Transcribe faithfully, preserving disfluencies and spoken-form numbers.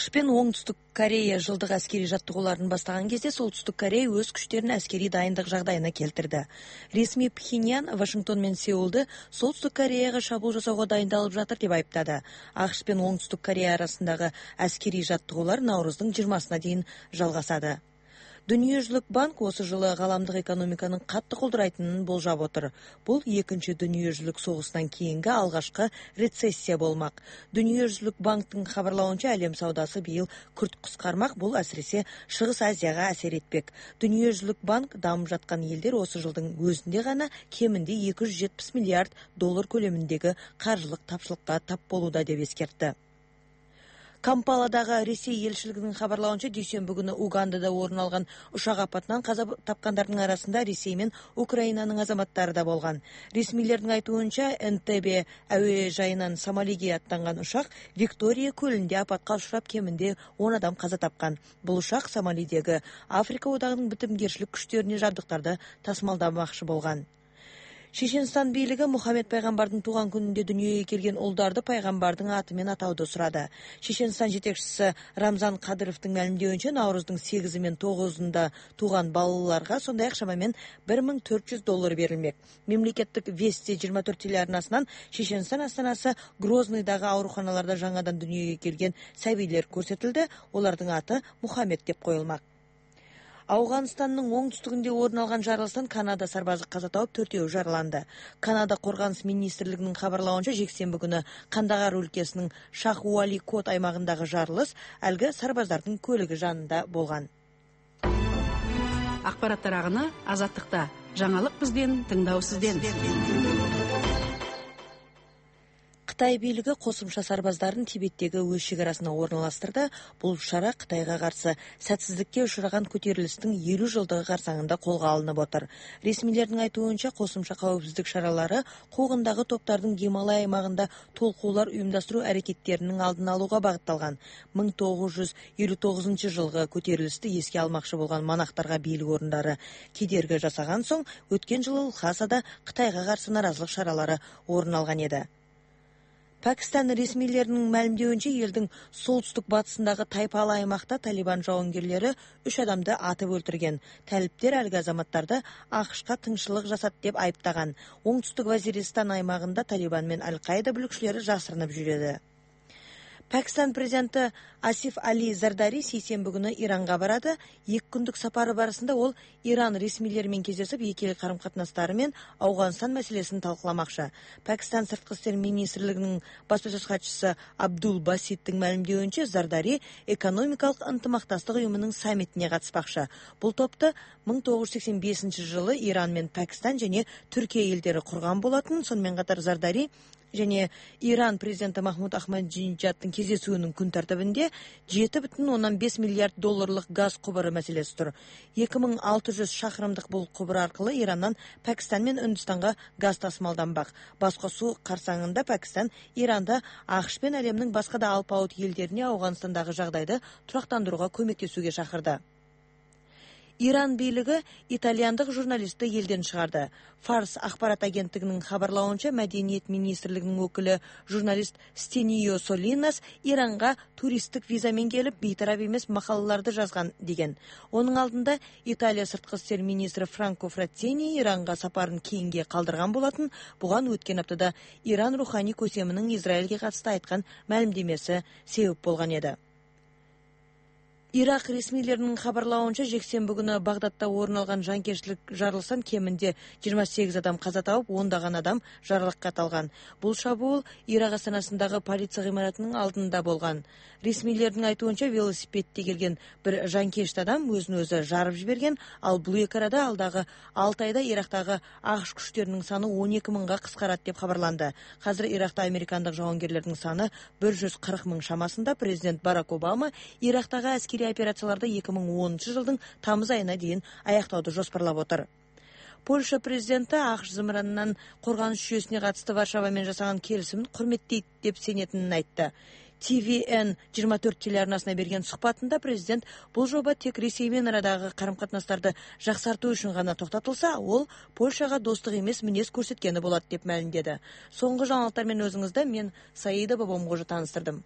АКШ пен Оңтүстүк Корея жылдык аскерий жаттыгууларын баштаган кезде Солтүстүк Корея өз күчтөрүн аскерий дайындык жагдайына келтирди. Ресми Пхеньян Вашингтон менен Сеулду Солтүстүк Кореяга шабуул жасоого дайындалып жатыр деп айыптады. АКШ пен Оңтүстүк Корея арасындагы аскерий жаттыгуулар Навруздун жыйырмасына чейин жалгасады. Дүниежүзүлүк банк осы жылы кааламдык экономиканын катты колдурайтынын болжоп отур. Бул экинчи дүниежүзүлүк согуштан кийинки алгачкы рецессия болмак. Дүниежүзүлүк банктын кабарлауынча әлем саудасы быйыл күрт кыскармак, бул асиресе Чыгыс Азияга асер этпек. Дүниежүзүлүк банк дамып жаткан элдер осы жылдын өзүндө гана кеминде эки жүз жетимиш миллиард доллар көлөмүндөгү каржылык тапшылыкка тап болууда деп эскертти. Кампаладагы Ресей элчилигинин кабарлауынча дүйшөмбү күнү Угандада орун алган учак апатынан каза тапкандардын арасында Ресей менен Украинанын азаматтары да болгон. Ресмийлердин айтуунча Энтебе аба жайынан Сомалиге аттанган учак Виктория көлүндө апатка учурап кеминде он адам каза тапкан. Бул учак Сомалидеги Африка одагынын битимгерчилик күчтөрүнө жабдыктарды тасымалдамакчы болгон. Чеченстан бийлиги Мухаммед пайгамбардын тууган күнүндө дүйнөгө келген улдарды пайгамбардын аты менен атауду сурады. Чеченстан жетекчиси Рамзан Кадыровдун маалимдеуинче Навруздун сегизи мен тогузунда тууган балаларга сондай ак шамамен бир миң төрт жүз доллар берилмек. Мемлекеттик Вести жыйырма төрт телеарнасынан Чеченстан астанасы Грозныйдагы ооруканаларда жаңадан дүйнөгө келген сабийлер көрсөтүлдү. Олардын аты Мухаммед деп коюлмак. Афганстандын оңтүстүгүндө орун алган жарылыштан Канада сарбазы каза тауып, төртөө жараланды. Канада коргонуш министрлигинин кабарлауынча жексенби күнү Кандагар өлкөсүнүн Шах-Уали Кот аймагындагы жарылыш алга сарбаздардын көлүгү жанында болгон. Акпараттар агыны Азаттыкта. Жаңылык бизден, тыңдоо сизден. Кытай бийлиги косумча сарбаздарын Тибеттеги өз чек арасына орналаштырды. Бул шара Кытайга каршы сәтсиздикке учураган көтөрүлүштүн элүү жылдыгы карсаңында колго алынып отур. Ресмилердин айтуунча, косумча коопсуздук шаралары куугундагы топтардын Гималай аймагында толкуулар уюмдаштыруу аракеттеринин алдын алууга багытталган. миң тогуз жүз элүү тогузунчу жылгы көтөрүлүштү эске алмакчы болгон монахтарга бийлик орундары кедерги жасаган соң, өткөн жылы Лхасада Кытайга каршы наразылык шаралары орун алган эди. Пакистан ресмийлеринин маалимдеуинче, элдин солтүстүк батысындагы Тайпалы аймакта Талибан жауынгерлери үч адамды атып өлтүргөн. Талиптер алга азаматтарды АКШка тынччылык жасат деп айыптаган. Оңтүстүк Вазиристан аймагында Талибан менен Аль-Каида бүлүкчүлөрү жашырынып жүрөдү. Пакистан президенти Асиф Али Зардари сейсенби күнү Иранга барады. Эки күндүк сапары барысында ол Иран ресмийлери менен кездешип, эки эл карым-катнаштары менен Афганстан маселесин талкуламакчы. Пакистан сырткы иштер министрлигинин баспасөз катчысы Абдул Баситтин маалимдеуинче, Зардари экономикалык ынтымакташтык уюмунун саммитине катышпакчы. Бул топту миң тогуз жүз сексен бешинчи жылы Иран менен Пакистан жана Түркия элдери курган болотун. Сонун менен катар Зардари және Иран президенти Махмуд Ахмадинежаддын кездесүүнүн күн тартибинде жети бүтүн ондон беш миллиард долларлык газ кубуру маселеси тур. эки миң алты жүз шакырымдык бул кубур аркылуу Ирандан Пакистан менен Үндүстанга газ тасымалданбак. Баскосуу карсаңында Пакистан Иранда АКШ пен әлемдин башка да алпауыт элдерине Афганстандагы жагдайды турактандырууга көмөктөшүүгө чакырды. Иран бийлиги итальяндык журналистти элден чыгарды. Фарс акпарат агенттигинин кабарлауынча, Мәдениет министрлигинин өкүлү журналист Стенио Солинас Иранга туристтик виза менен келип, бейтарап эмес макалаларды жазган деген. Онун алдында Италия сырткы иштер министри Франко Фраттини Иранга сапарын кейинге калдырган болотун. Буга өткөн аптада Иран руханий көсеминин Израилге катышты айткан маалимдемеси себеп болгон эди. Ирак ресмийлеринин кабарлауынча, жексенби күнү Багдадда орун алган жанкечтилик жарылыштан кеминде жыйырма сегиз адам каза тауып, ондогон адам жаралакат алган. Бул шабуул Ирак астанасындагы полиция гымаратынын алдында болгон. Ресмийлердин айтуунча, велосипедде келген бир жанкечт адам өзүн өзү жарып жиберген, ал бул эки арада алдагы алты айда Ирактагы АКШ күчтөрүнүн саны он эки миңга кыскарат деп кабарланды. Азыр Иракта американдык жауынгерлердин саны бир жүз кырк миң шамасында. Президент Барак Обама Ирактагы аскерий операцияларды эки миң онунчу жылдын тамыз айына дейин аяктооду жоспарлап отур. Польша президенти АКШ зымыранынан коргонуш жүйөсүнө катышты Варшава менен жасаган келишимин курметтейт деп сенетинин айтты. Ти Ви Эн жыйырма төрт телеарнасына берген сухбатында президент бул жоба тек Ресей менен арадагы карым-катнаштарды жаксартуу үчүн гана токтотулса, ол Польшага достук эмес мүнөз көрсөткени болот деп маалимдеди. Соңку жаңылыктар менен өзүңүздө мен Саида Бабомгожу тааныстырдым.